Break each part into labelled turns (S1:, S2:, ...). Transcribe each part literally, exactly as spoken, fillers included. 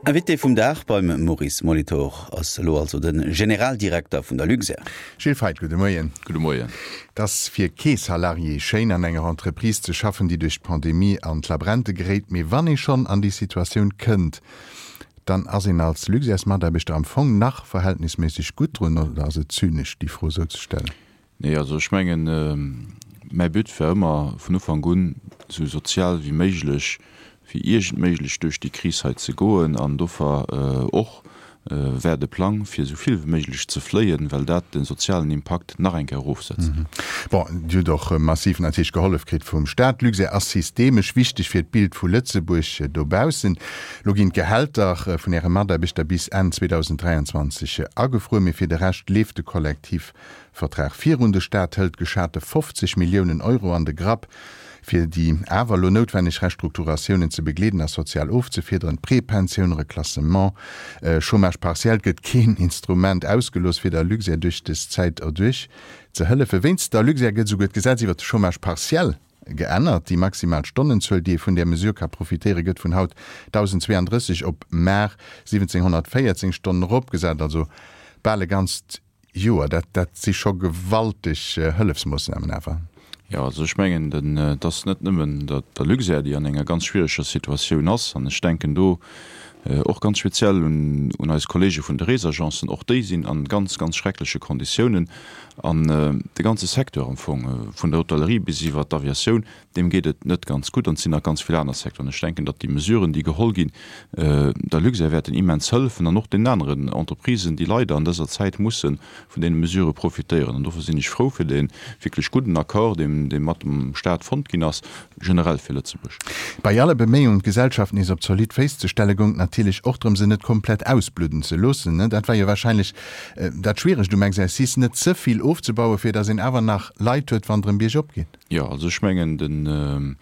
S1: Invité vum Dag beim Maurice Molitor ass elo also de Generaldirekter vun der Luxair.
S2: Gilles Feith, gudde Moien.
S3: Gudde Moien.
S2: Et ass fir kee Salarié schéin, an enger Entreprise ze schaffen, déi duerch d'Pandemie an d'Labrente geréit. Mee wann ee schonn an déi Situatioun kënnt, dann ass een als Luxairs-Mataarbechter am Fong nach verhältnisméisseg gutt drun, oder ass et zynesch, déi Fro esou ze stellen?
S3: Nee, also ech mengen, mäi But war ëmmer vun Ufank un, esou sozial wéi méiglech wéi iergend méiglech duerch déi Kris hei ze goen an dofir och war de Plang, fir esou vill wéi méiglech ze fléien, well dat de sozialen Impakt nach eng Kéier erofsetzt.
S2: Bon, Dir hutt och massiv natierlech gehollef kritt vum Staat. D'Luxair ass systemesch wichteg fir d'Bild vu Lëtzebuerg dobaussen. Lo ginn d'Gehälter vun Äre Mataarbechter bis Enn zweedausend dräianzwanzeg agefruer, mee fir de Rescht leeft de Kollektivvertrag virun. De Staat hëlt geschate fofzeg Milliounen Euro an de Grapp, fir déi awer elo noutwenneg Restrukturatiounen ze begleeden a sozial ofzefiederen, Prepensioun, Reklassement, Chômage partiel, et gëtt keen Instrument ausgelooss, fir der Luxair duerch dës Zäit erduerch ze hëllefen. Wéinst der Luxair gëtt esouguer d'Gesetz iwwert de Chômage partiel geännert. Déi maximal Stonnenzuel, déi ee vun där Mesure ka profitéieren, gëtt vun haut dausendzweeandrësseg op mar siwwenzénghonnertvéierzéng Stonnen eropgesat, also bal e ganzt Joer. Dat, dat si scho gewalteg Hëllefsmoossnamen awer.
S3: Jo, also ech mengen, et ass net nëmmen der Luxair, déi an enger ganz schwiereger Situatioun ass, an ech denken do och ganz speziell un eis Kollege vun de Reesagencen, och déi sinn a ganz, ganz schreckleche Konditiounen. An de ganze Secteur am Fong, vun der Hotellerie bis iwwert d'Aviatioun, deem geet et net ganz gutt. An et sinn nach ganz vill aner Secteuren. Ech denken, datt déi Mesuren, déi geholl ginn, der Luxair wäerten immens hëllefen an och deenen aneren Entreprisen, déi leider an dëser Zäit musse vun deene Mesurë profitéieren. An dofir sinn ech frou fir dee wierklech gudden Accord, dee dee mat dem Staat fonnt ginn ass, generell fir Lëtzebuerg.
S2: Bei alle Beméiungen, d'Gesellschaft nees op zolidd Féiss ze stellen, goung et natierlech och drëm, se net komplett ausbludden ze loossen. Dat war jo wahrscheinlech dat Schwieregt um Exercice, net ze vill ofzebauen, fir datt een awer nach Leit huet, wann et erëm biergop geet.
S3: Jo, also ech mengen, den,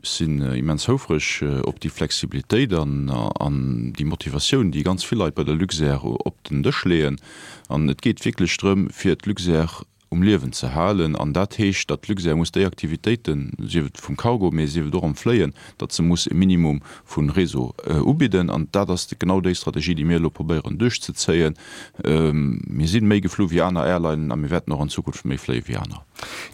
S3: ech sinn immens houfreg op déi Flexibilitéit an an déi Motivatioun, déi ganz vill Leit bei der Luxair op den Dësch leeën. An et geet wierklech drëm, fir d'Luxair um Liewen ze halen. An dat heescht, datt d'Luxair muss déi Aktivitéiten, sief et vum Cargo, mee sief et och am Fléien, datt se muss e Minimum vu Réseau ubidden. An dat ass genau déi Strategie, déi mir elo probéieren duerchzezéien. Mir si méi geflu wéi aner Airlinen a mir wäerten och an Zukunft méi fléie wéi aner.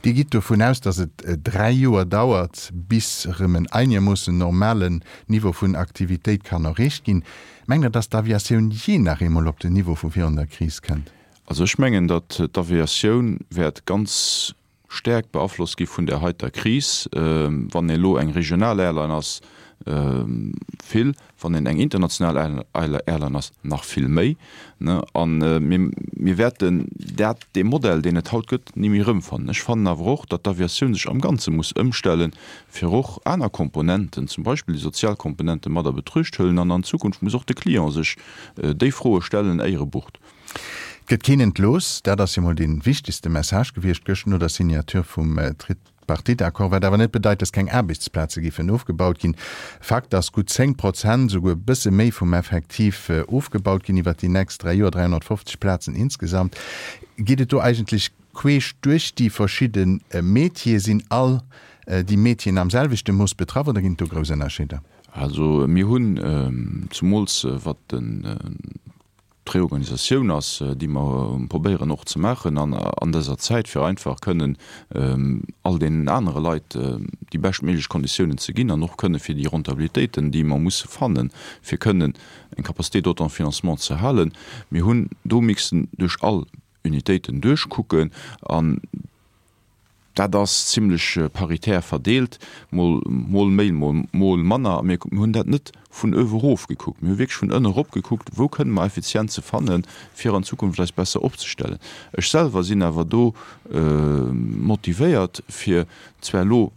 S2: Dir gitt dovun aus, datt et dräi Joer dauert, bis erëm en einermoossen normalen Niveau vun Aktivitéit kann erreecht ginn. Mengt Der, datt d'Aviatioun jee nach eemol op den Niveau vu virun der Kris kënnt?
S3: Also ech mengen, datt d'Aviatioun wäert ganz staark beaflosst gi vun där heiter Kris. Wann een elo eng regional Airline ass, vill, wann een eng international Airline ass, nach vill méi. A mir wäerten dat, dee Modell, deen et haut gëtt, ni méi erëmfannen. Ech fannen awer och, datt d'Aviatioun sech am Ganze muss ëmstellen, fir och aner Komponenten, zum Beispill déi sozial Komponente mat a Betruecht huelen. An an Zukunft muss och de Client sech déi Froe stellen, éier e bucht.
S2: Et gëtt keen entlooss, dat ass jo mol dee wichtegste Message gewiescht gëscht no der Signature vum Tripartite-Accord, wat awer net bedeit, datt keng Aarbechtsplaze géifen ofgebaut ginn. Fakt ass, gutt zéng Prozent, esouguer e bësse méi vum Effektiv ofgebaut ginn iwwert déi nächst dräi Joer, dräihonnertfofzeg Plazen insgesamt. Geet et do eigentlech queesch duerch déi verschidde Métieren? Sinn all déi Métieren am selwechte Mooss betraff oder ginn et do grouss Ënnerscheeder?
S3: Also mir hunn, zumools wat den d'Reorganisatioun ass, déi mer probéieren och ze maachen an dëser Zäit, fir einfach kënnen all deenen anere Leit déi beschtméiglech Konditiounen ze ginn an och kënne fir déi Rentabilitéiten, déi mer musse fannen, fir kënnen eng Capacité d'autofinancement ze halen. Mir hunn do mixen duerch all Unitéiten duerchkucken an dat ass zimlech paritär verdeelt, mol mol méi, mol mol manner. A mir hunn dat net vun uewe erof gekuckt, mir hu wierklech vun ënne erop gekuckt, wou kënne mer Effizienze fannen, fir an Zukunft eis besser opzestellen. Ech selwer sinn awer do motivéiert, fir zwar elo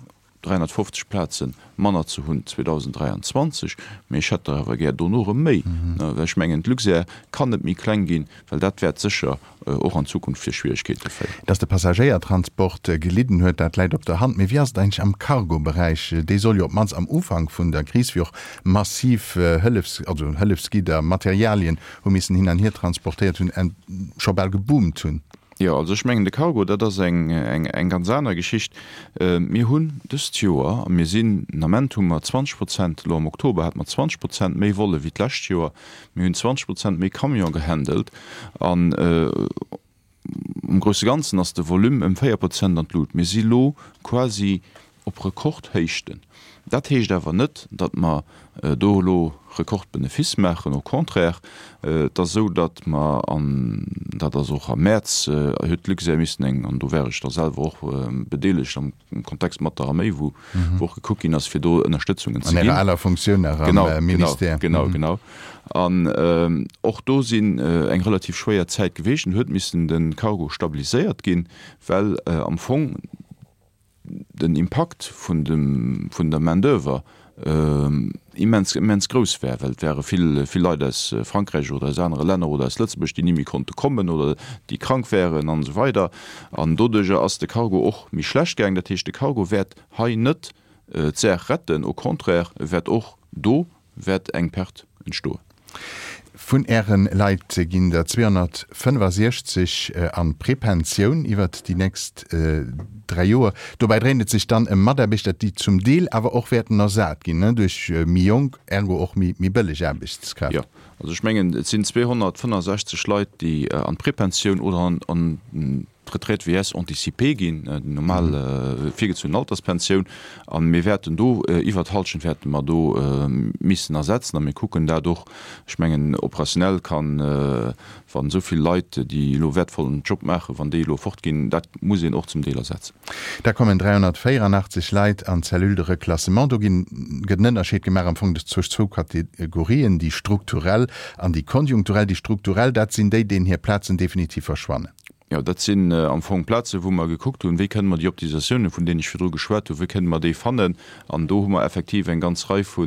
S3: dräihonnertfofzeg Plaze manner ze hunn zweedausenddräianzwanzeg, mee ech hätt der awer gär dono erëm méi, well ech mengen, d'Luxair kann net méi kleng ginn, well dat wäert sécher och an Zukunft fir Schwieregkeete féieren.
S2: Dass de Passagéiertransport gelidden huet, dat läit op der Hand. Mee wéi ass et eigentlech am Cargo-Beräich? Dee soll jo op d'mannst am Ufank vun der Kris, wéi och massiv Hëllefs-, also Hëllefsgidder, Materialien hu missen hin an hier transportéiert hunn, scho bal geboomt hunn.
S3: Jo, also ech mengen de Cargo, dat ass eng, eng, eng ganz aner Geschicht. Mir hunn dëst Joer, a mir sinn, den Ament hu mer zwanzeg Prozent, elo am Oktober hate mer zwanzeg Prozent méi Volle wéi d'lescht Joer, mir hunn zwanzeg Prozent méi Camion gehandelt an am grousse Ganzen ass de Volume ëm véier Prozent an d'Lut. Mir si lo quasi op Rekordhéichten. Dat heescht awer net, datt mer do elo Rekordbenefice maachen, au contraire. Et ass esou, datt mer, an dat ass och am Mäerz, huet d'Luxair missen eng, an do war ech da selwer och bedeelegt am Kontext mat der Arméi, wou och gekuckt ginn ass, fir do Ënnerstëtzungen ze
S2: ginn. An Ärer aler Funktioun nach am Ministère.
S3: Genau, genau, genau. An och do sinn eng relativ schwéier Zäit geweecht an huet missen de Cargo stabiliséiert ginn, well am Fong, den Impakt vun dem, vun der Main d'oeuvre immens, immens grouss war, well et ware vill, vill Leit aus Frankräich oder aus anere Länner oder aus Lëtzebuerg, déi ni méi konnte kommen oder déi krank waren an esou weider. An doduerjer ass de Cargo och méi schlecht gaangen. Dat heescht, de Cargo wäert hei net d'Saach retten, au contraire, e wäert och do wäert eng Perte entstoen.
S2: Vun Äre Leit ginn der zweehonnertfënnefasiechzeg an d'Prepensioun iwwert déi nächst dräi Joer. Dobäi dréint et sech dann ëm Mataarbechter, déi zum Deel awer och wäerten ersat ginn duerch méi jonk, ergo och méi bëlleg Aarbechtskräft.
S3: Jo, also ech mengen, et sinn zweehonnertfënnefasechzeg Leit, déi an d'Prepensioun oder an d'Retraite vieillesse anticipée ginn, déi normal virgezunn Alterspensioun. A mir wäerten do, iwwert d'Hallschent wäerte mer do missen ersetzen. A mir kucken dat och, ech mengen, operationell kann, wann esou vill Leit, déi elo wäertvollen Job maachen, wann déi elo fortginn, dat muss een och zum Deel ersetzen.
S2: Da kommen dräihonnertvéierunachtzeg Leit an d'Cellule de reclassement. Do ginn, gëtt en Ënnerscheed gemaach am Fong zwëscht zwou Kategorien, déi strukturell an déi konjunkturell. Déi strukturell, dat sinn déi, deenen hir Plazen definitiv verschwannen.
S3: Jo, dat sinn am Fong Plazen, wou mer gekuckt hunn, wéi kënne mer déi Optimisatiounen, vun deenen ech virdru geschwat hunn, wéi kënne mer déi fannen. An do hu mer effektiv eng ganz Rei vu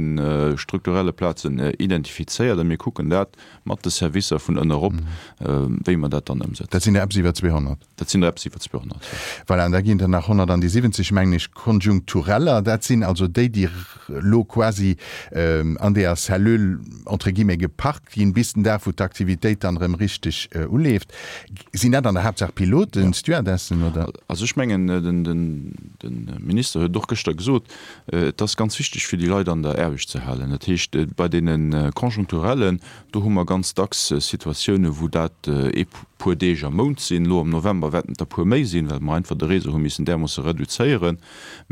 S3: strukturelle Plazen identifizéiert a mir kucken dat mat de Servicer vun ënne erop, wéi mer dat dann ëmsetzen.
S2: Dat sinn der eppes iwwer zweehonnert.
S3: Dat sinn der eppes iwwer zweehonnert, jo.
S2: Voilà, an da ginn der nach honnertansiwwenzeg, mengen ech, konjunktureller. Dat sinn also déi, déi elo quasi an deeër Cellule, entre guillemets, geparkt ginn, bis den Dag, wou d'Aktivitéit dann erëm richteg uleeft. Sinn dat an der Haaptsaach Piloten, Stewardessen, oder?
S3: Also ech mengen, de Minister huet et och gëschter gesot, et ass ganz wichteg fir déi Leit an der Aarbecht ze halen. Dat heescht, bei deene Conjoncturellen, do hu mer ganz dacks Situatiounen, wou dat ee puer Deeg am Mount sinn. Elo am November wäerten et der puer méi sinn, well mer einfach de Réseau hu missen därmoosse reduzéieren.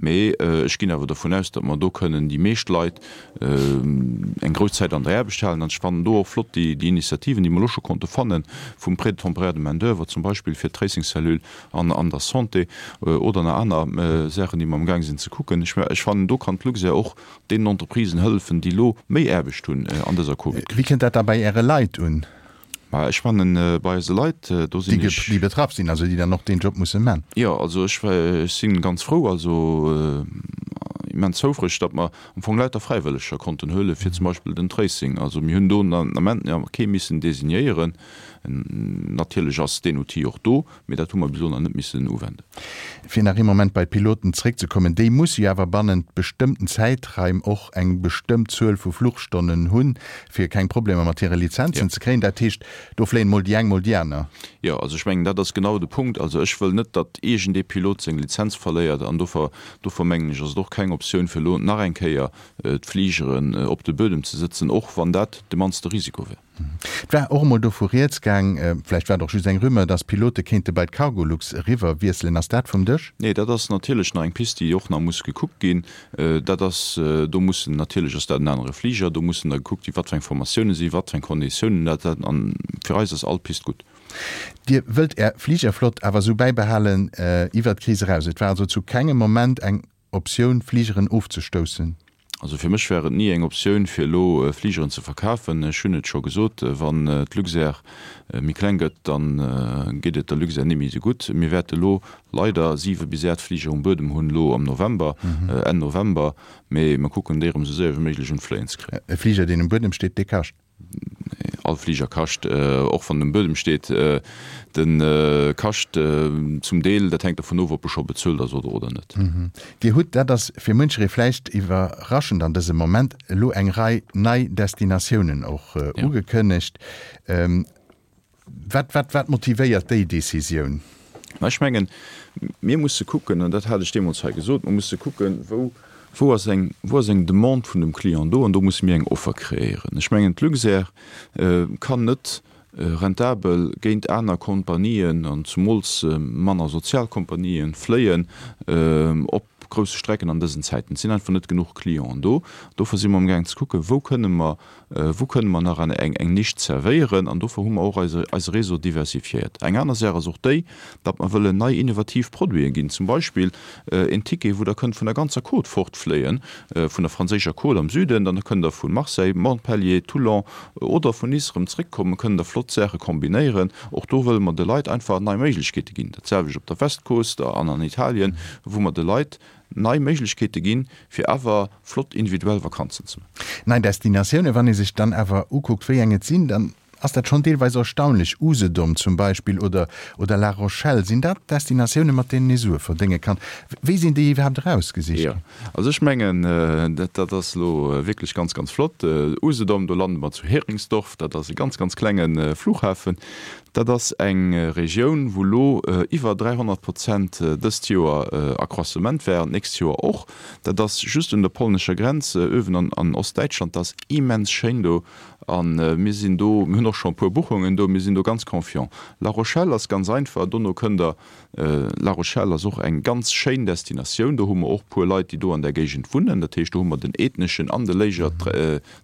S3: Mee ech ginn awer dervun aus, datt mer do kënnen déi meescht Leit eng grouss Zäit an der Aarbecht halen. An ech fannen do och flott déi Initiativen, déi mer elo scho konnte fannen, vum Prêt temporaire de main-d'oeuvre zum Beispill fir d'Tracing-Cellule an an der Santé oder nach aner Saachen, déi mer amgaang sinn ze kucken. Ech fannen, do kann d'Luxair och deenen Entreprisen hëllefen, déi elo méi Aarbecht hunn an dëser Covid-Kris.
S2: Wéi kënnt dat da bei Äre Leit un?
S3: Mä ech fannen, bei eise Leit, do sinn ech.
S2: Déi betraff sinn, also déi dann och deen Job musse man.
S3: Jo, also ech si ganz frou, also immens houfreg, datt mer am Fong lauter Fräiwëlleger konnten huelen, fir zum Beispill den Tracing. Also mir hunn do den Ament nach kee missen designéieren. Natierlech ass deen Outil och do, mee dat hu mer bis elo nach net missen uwenden.
S2: Fir nach ee Moment bei d'Piloten zréckzekommen, Déi musse jo awer bannent bestëmmten Zäitraim och eng bestëmmt Zuel vu Fluchstonnen hunn, fir keng Problemer mat hire Lizenzen ze kréien. Dat heescht, do fléien mol déi eng, mol déi aner.
S3: Jo, also ech mengen, dat ass genau de Punkt. Also ech wëll net, datt iergendee Pilot seng Lizenz verléiert. An dofir, dofir mengen ech, ass et och keng Optioun, fir elo nach eng Kéier d'Fligeren op de Buedem ze sëtzen, och wann dat de mannste Risiko wär.
S2: Et war och emol dovu rieds gaang, vläicht war et och just eng Rumeur, datt Pilote kéinte bei d'Cargolux eriwwer wiesselen. Ass dat vum Dësch?
S3: Nee, dat ass natierlech nach eng Pist, déi och nach muss gekuckt ginn. Dat ass, do mussen natierlech, ass dat en anere Fliger, do mussen da gekuckt ginn, wat fir eng Formatiounen sinn, wat fir eng Konditiounen dat dat. An fir eis ass all Pist gutt.
S2: Dir wëllt Är Fligerflott awer esou bäibehalen iwwert d'Kris eraus. Et war also zu kengem Moment eng Optioun, Fligeren ofzestoussen?
S3: Also fir mech war et ni eng Optioun, fir elo Fligeren ze verkafen. Ech hunn et scho gesot, wann d'Luxair méi kleng gëtt, da geet et der Luxair ni méi esou gutt. Mir wäerte elo leider siwe bis aacht Fliger um Buedem hunn, elo am November, Enn November, mee mer kucken déi erëm esou séier wéi méiglech un d'Fléien ze kréien.
S2: E Fliger, deen um Buedem steet, dee kascht?
S3: All Fliger kascht, och wann en um Buedem steet. De kascht zum Deel, dat hänkt dervun of, ob e scho bezuelt ass oder oder net.
S2: Dir hutt, dat ass fir muncheree vläicht iwwerraschend an dësem Moment, elo eng Rei nei Destinatiounen och ugekënnegt. Wat, wat, wat motivéiert déi Decisioun?
S3: Mä ech mengen, mir musse kucken, an dat hat ech deemools hei gesot, mer musse kucken, wou, wou ass eng, wou ass eng Demande vun dem Client do, an do musse mir eng Offer kreéieren. Ech mengen, d'Luxair kann net rentabel géint aner Kompanien, an zumools manner sozial Kompanien, fléien op grousse Strecken an dësen Zäiten. Et sinn einfach net genuch Clienten do. Dofir si mer amgaang ze kucken, wou kënne mer, wou kënne mer nach eng, eng Nisch zerwéieren. An dofir hu mer och eise, eise Réseau diversifiéiert. Eng aner Saach ass och déi, datt mer wëllen nei innovativ Produiten ginn, zum Beispill een Ticket, wou Der kënnt vun der ganzer Côte fortfléien, vun der franséischer Côte am Süden, dann kënnt Der vu Marseille, Montpellier, Toulon oder vun Nice erëm zréckkommen, kënnen Der flott Saache kombinéieren. Och do wëlle mer de Leit einfach nei Méiglechkeete ginn. Dat selwecht op der Westkoost an an Italien, wou mer de Leit nei Méiglechkeete ginn, fir awer flott individuell Vakanzen ze maachen.
S2: Nei Destinatiounen, wann ee sech dann awer ukuckt, wéi eng et sinn, dann ass dat schonn deelweis erstaunlech. Usedom zum Beispill oder oder La Rochelle, sinn dat Destinatiounen, mat deenen ee Sue verdénge kann? Wéi sinn déi iwwerhaapt erausgesicht
S3: ginn? Jo, also ech mengen, dat dat ass elo wierklech ganz, ganz flott. Usedom, do lande mer zu Heringsdorf, dat ass e ganz, ganz klenge Flughafen. Dat ass eng Regioun, wou elo iwwer dräihonnert Prozent dëst Joer Accroissement war an d'nächst Joer och. Dat ass just un der polnescher Grenz, uewen an Ostdäitschland. Dat ass immens schéin do a mir sinn do, mir hunn och scho e puer Buchungen do, mir sinn do ganz confiant. La Rochelle ass ganz einfach, dono kënnt Der, La Rochelle ass och eng ganz schéin Destinatioun, do hu mer och puer Leit, déi do an där Géigend wunnen. Dat heescht, do hu mer den ethneschen an de Leisure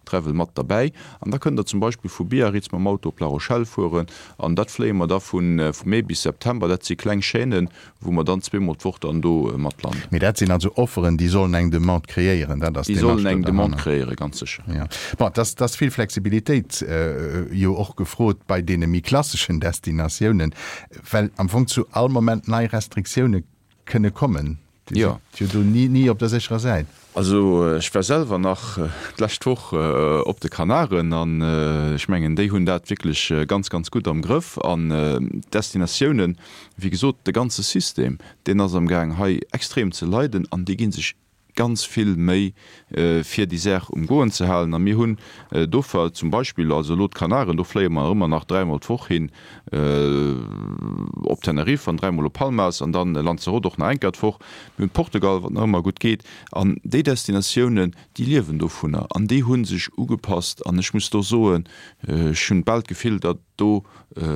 S3: Travel mat derbäi. An da kënnt Der zum Beispill vu Biarritz mam Auto op La Rochelle fueren. An dat fléie mer da vu Mee bis September. Dat si kleng Chaînen, wou mer dann zweemol d'Woch dann do mat landen.
S2: Mee dat sinn also Offeren, déi sollen eng Demande kreéieren. Dat ass
S3: Déi
S2: d'Démarche
S3: sollen
S2: do
S3: eng Demande
S2: derhanner.
S3: kreéieren, ganz sécher.
S2: Jo. Bon, et ass, et ass vill Flexibilitéit jo och gefrot bei deene méi klasseschen Destinatiounen, well am Fong zu all Moment nei Restriktioune kënne kommen. Dir sidd jo do ni, ni op der sécherer Säit.
S3: Also ech war selwer nach d'lescht Woch op de Kanaren an ech mengen, déi hunn dat wierklech ganz, ganz gutt am Grëff. An d'Destinatiounen, wéi gesot, de ganze System, deen ass amgaang hei extrem ze leiden an déi gi sech ganz vill Méi fir déi Saach um Goen ze halen. A mir hunn dofir zum Beispill, also elo d'Kanaren, do fléie mer ëmmer nach dräimol d'Woch hin op Tenerife an dräimol op Palmas an dann Lanzarote och nach eng Kéier d'Woch. Mir hunn Portugal, wat nach ëmmer gutt geet. An déi Destinatiounen, déi liewen dovunner an déi hu sech ugepasst. An ech muss do soen, ech hunn bal d'Gefill, datt do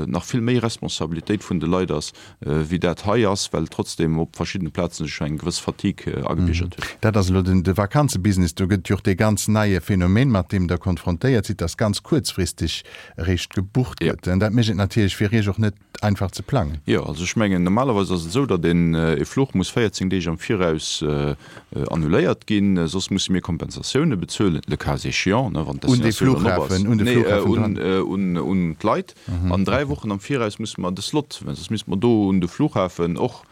S3: nach vill méi Responsabilitéit vun de Leit ass, wéi dat hei ass, well trotzdem op verschiddene Plazen sech eng gewëss Fatigue agebiergert huet.
S2: Dat ass elo den de Vakanzebusiness. Do gëtt jo och dee ganz neie Phänomen, mat deem Der konfrontéiert sidd, dass ganz kuerzfristeg eréischt gebucht gëtt. Dat mécht et natierlech fir Iech och net einfach ze plangen.
S3: Jo, also ech mengen, normalerweis ass et esou, datt een e Fluch muss véierzéng Deeg am Viraus annuléiert ginn, soss musse mir Kompensatioune bezuelen, le cas échéant, ne, wann
S2: Un de
S3: d'Destinatioun dann op ass.
S2: Flughafen, un de
S3: Nee,
S2: Flughafen dran.
S3: un, un d'Leit. An dräi Wochen am Viraus musse mer de Slot, well soss misste mer do un de Flughafen och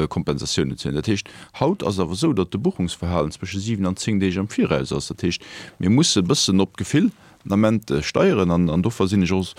S3: Kompensatiounen zuelen. Dat heescht, haut ass et awer esou, datt de Buchungsverhalen zwësche siwen an zéng Deeg am Viraus ass. Dat heescht, mir musse e bëssen op d'Gefill den Ament steieren an an dofir sinn ech och,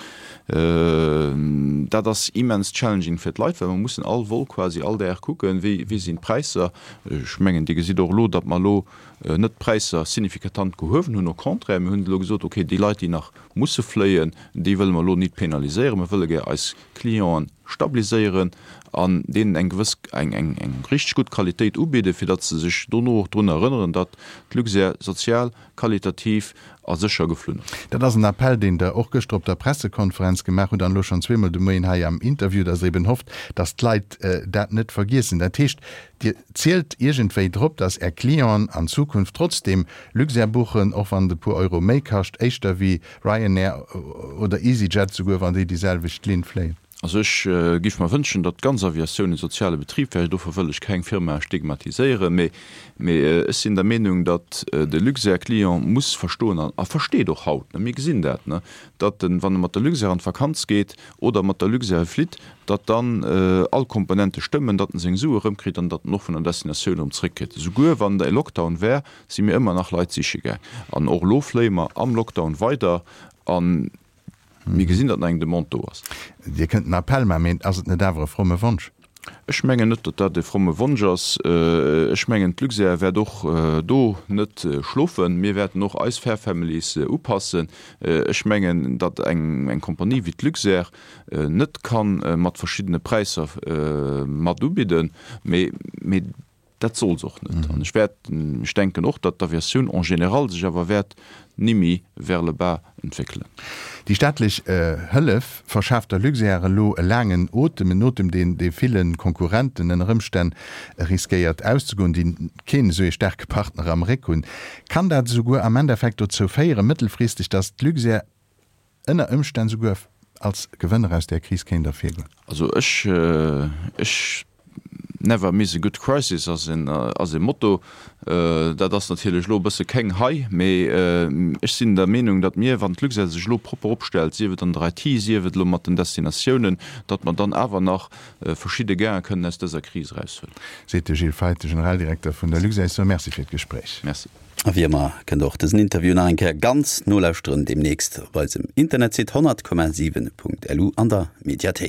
S3: dat ass immens challenging fir d'Leit, well mer mussen all Vol quasi all Dag kucken, wéi wéi sinn d'Präisser. Ech mengen, Dir gesitt och elo, datt mer elo net d'Präisser signifikatant gehuewen hunn, au contraire, mir hunn elo gesot, okay, déi Leit, déi nach musse fléien, déi wëlle mer elo nit penaliséieren, mer wëlle gär eis Clienten stabiliséieren an deenen eng gewëss, eng eng eng richteg gutt Qualitéit ubidden, fir datt se sech dono och drun erënneren, datt d'Luxair sozial, qualitativ a sécher geflunn ass.
S2: Dat ass en Appell, deen Der och gëschter op der Pressekonferenz gemaach hutt an elo schonn zweemol de Moien hei am Interview, datt Der eben hofft, datt d'Leit dat net vergiessen. Dat heescht, Dir zielt iergendwéi drop, datt Är Clienten an Zukunft trotzdeem Luxair buchen, och wann et e puer Euro méi kascht, éischter wéi Ryanair oder EasyJet, souguer wann déi déi selwecht Linn fléien?
S3: Also ech giff mer wënschen, datt d'ganz Aviatioun e soziale Betrib wär. Dofir wëll ech keng Firma stigmatiséieren, mee mee ech sinn der Meenung, datt de Luxair-Client muss verstoen an a versteet och haut, mir gesinn dat, datt en, wann e mat der Luxair an d'Vakanz geet oder mat der Luxair flitt, datt dann all Komponente stëmmen, datt en seng Sue erëmkritt an datt en och vun der Destinatioun erëm zréckkritt. Esouguer wann e Lockdown wär, si mir ëmmer nach Leit siche gaang. An och elo fléie mer am Lockdown weider an mir gesinn, datt nach eng Demande do ass.
S2: Dir kënnt en Appell maachen, mee ass et net awer e fromme Wonsch?
S3: Ech mengen net, datt dat e fromme Wonsch ass. Ech mengen, d'Luxair wäert och do net schlofen. Mir wäerten och eis Fare Families upassen. Ech mengen, datt eng Compagnie wéi d'Luxair net ka mat verschiddene Präisser mat ubidden, mee dat soll se och net. An ech wäert, ech denken och, datt d'Aviatioun en général sech awer wäert nimmi vers le bas entwéckelen.
S2: Déi staatlech Hëllef verschaaft der Luxair elo e laangen Otem, en Otem, deen de ville Konkurrenten ënner Ëmstänn riskéiert auszegoen, déi keen esou ee staarke Partner am Réck hunn. Kann dat esouguer am Endeffekt dozou féieren, mëttelfristeg, datt d'Luxair ënner Ëmstänn souguer als Gewënner aus där Kris kéint ervirgoen?
S3: Also ech, ech, never miss a good crisis ass en, ass e Motto. Dat ass natierlech elo e bësse kéng hei, mee ech sinn der Meenung, datt mir, wann d'Luxair sech elo propper opstellt, sief et an der I T, sief et elo mat den Destinatiounen, datt mer dann awer nach verschidde Gainen kënnen aus dëser Kris eraushuelen.
S2: Seet de Gilles Feith, de Generaldirekter vun der Luxair. Ech soe Merci fir d'Gespréich.
S3: Merci.
S1: A wéi ëmmer kënnt der och dësen Interview nach eng Kéier ganz nolauschteren deemnächst op eisem Internetsite honnert Komma siwen Punkt lu an der Mediathéik.